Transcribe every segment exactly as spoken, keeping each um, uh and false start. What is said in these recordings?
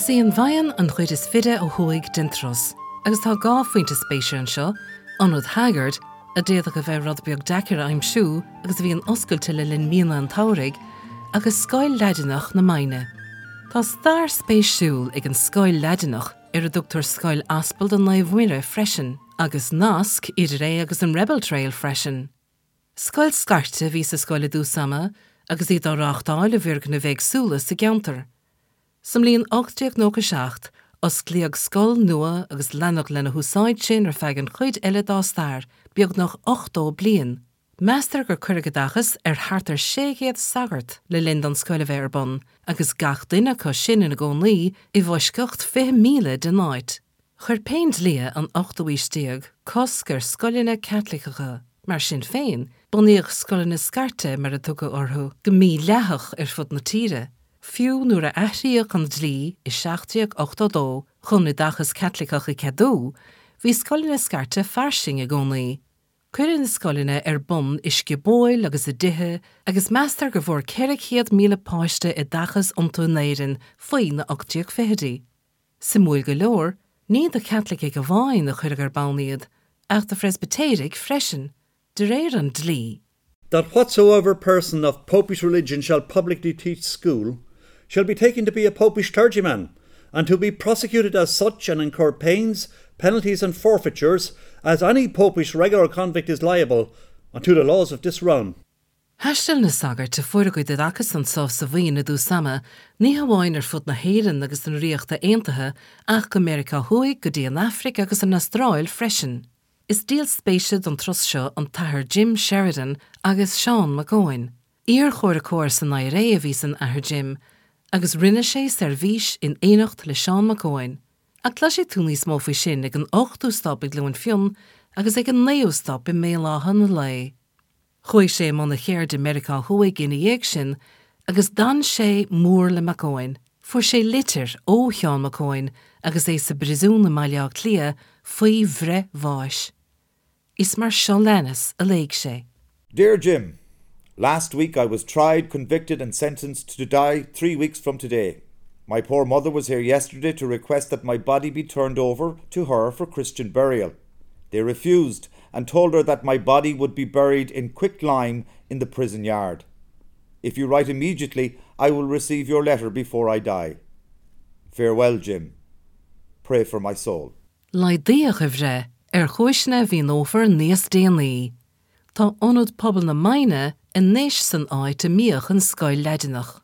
Is í an Mhaighneann an chuid is faide ó thuaidh den turas, agus tá dhá phointe spéise anseo, Ionad Haggard, a d'fhéadfadh a bheith rud beag deacair a aimsiú agus a bhíonn oscailte le linn míonna an tsamhraidh, agus Scoil Laidineach na Maighne. Tá stair spéisiúil ag an scoil Laidineach ar a dtugtar Scoil Aspalda Naomh Muire freisin, agus nasc idir é agus an Rebel Trail freisin. Scoil scairte a bhí sa scoil i dtús ama agus í á reáchtáil i bhfoirgnimh éagsúla sa gceantar. Sa mbliain ocht déag nócha seacht, osclaíodh scoil nua agus leanadh lena húsáid sin ar feadh an chuid eile dá stair, beagnach ochtó bliain. Meastar gur cuireadh oideachas ar thart ar sé chéad sagart le linn don scoil a bheith ar bun, agus gach duine acu sin ina gcónaí i bhfoisceacht fiche míle den áit. Chuir Péindlíthe an ochtú haois déag cosc ar scoileanna Caitliceacha. Mar sin féin, bunaíodh scoileanna scairte mar a tugadh orthu go mídhleathach ar fud na tíre. Fiú nuair a athraíodh an dlí i seacht déag ochtó dó chun oideachas Caitliceach a cheadú, bhí scoileanna scairte fairsing i gcónaí. Cuireadh na scoileanna ar bun i sciobóil agus i dtithe agus meastar go bhfuair ceithre chéad míle páiste oideachas iontu in Éirinn faoi na ocht déag fichidí. Suimiúil go leor, ní do Chaitlicigh amháin a cuireadh ar bun iad, ach do Phreispitéirigh freisin, de réir an dlí. That whatsoever person of popish religion shall publicly teach school, shall be taken to be a popish clergyman, and to be prosecuted as such and incur pains, penalties and forfeitures, as any popish regular convict is liable, unto the laws of this realm. Thaistil na sagairt a fuair a gcuid oideachais anseo sa Mhuimhin i dtús ama, ní hamháin ar fud na hÉireann agus na Ríochta Aontaithe ach go Meiriceá Thuaidh go dtí an Afraic agus an Astráil freisin. Is díol spéise don turas seo an tAthair Jim Sheridan agus Seán Mac Eoin. Iarchomhraiceoir san IRA a bhí san Athair Jim, agus rinne sé seirbhís in éineacht le Seán Mac Eoin. Ach cloisfidh tú níos mó faoi sin ag an ochtú stop i gCluain Fionn agus ag an naoú stop i mBéal Átha na Lao. Chuaigh sé i mbun a cheirde i Meiriceá Thuaidh ina dhiaidh sin agus d'fhan sé mór le Mac Eoin. Fuair sé litir ó Sheán Mac Eoin agus é sa bpríosún i mBaile Átha Cliath faoi bhreith bháis. Is mar seo leanas a léigh sé. Dear Jim, last week I was tried, convicted and sentenced to die three weeks from today. My poor mother was here yesterday to request that my body be turned over to her for Christian burial. They refused and told her that my body would be buried in quicklime in the prison yard. If you write immediately, I will receive your letter before I die. Farewell, Jim. Pray for my soul. Laghdaíodh a bhreith ar chúiseanna a mhíneofar níos déanaí. Tá Ionad Pobail na Maighne anois san áit a mbíodh an scoil Laidineach.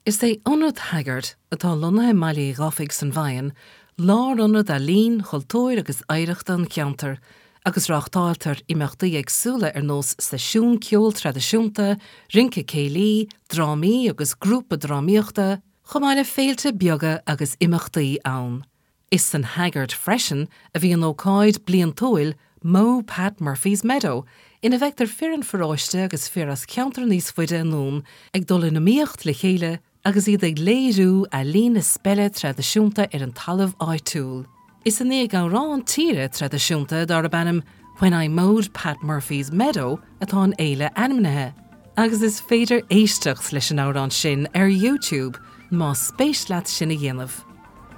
Is é Ionad Haggard atá lonnaithe i mBaile Uí Dhufaigh san Mhaighneann, lárionad ealaíon, chultúir agus oidhreachta an cheantair, agus reáchtáiltear imeachtaí éagsúla ar nós seisiún ceoil traidisiúnta, rince céilí, drámaí agus grúpa drámaíochta, chomh maith le féilte beaga agus imeachtaí ann. Is san Haggard freisin a bhíonn ócáid bliantúil Mow Pat Murphy's Meadow, ina bhfeictear fir an pharóiste agus fir as ceantar níos faide anonn ag dul in iomaíocht le chéile agus iad ag léiriú ealaín na speile traidisiúnta ar an talamh áitiúil. Is i ndiaidh amhrán tíre traidisiúnta darb ainm When I Mowed Pat Murphy's Meadow atá an fhéile ainmnithe. Agus is féidir éisteacht leis an amhrán sin ar YouTube más spéis leat sin a dhéanamh.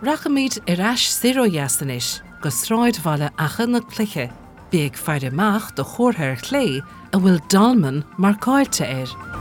Rachaimid ar ais soir ó dheas anois go sráidbhaile Achadh na Cloiche, Bí ag faire amach do chomhartha ar chlé a bhfuil dolmen marcáilte air.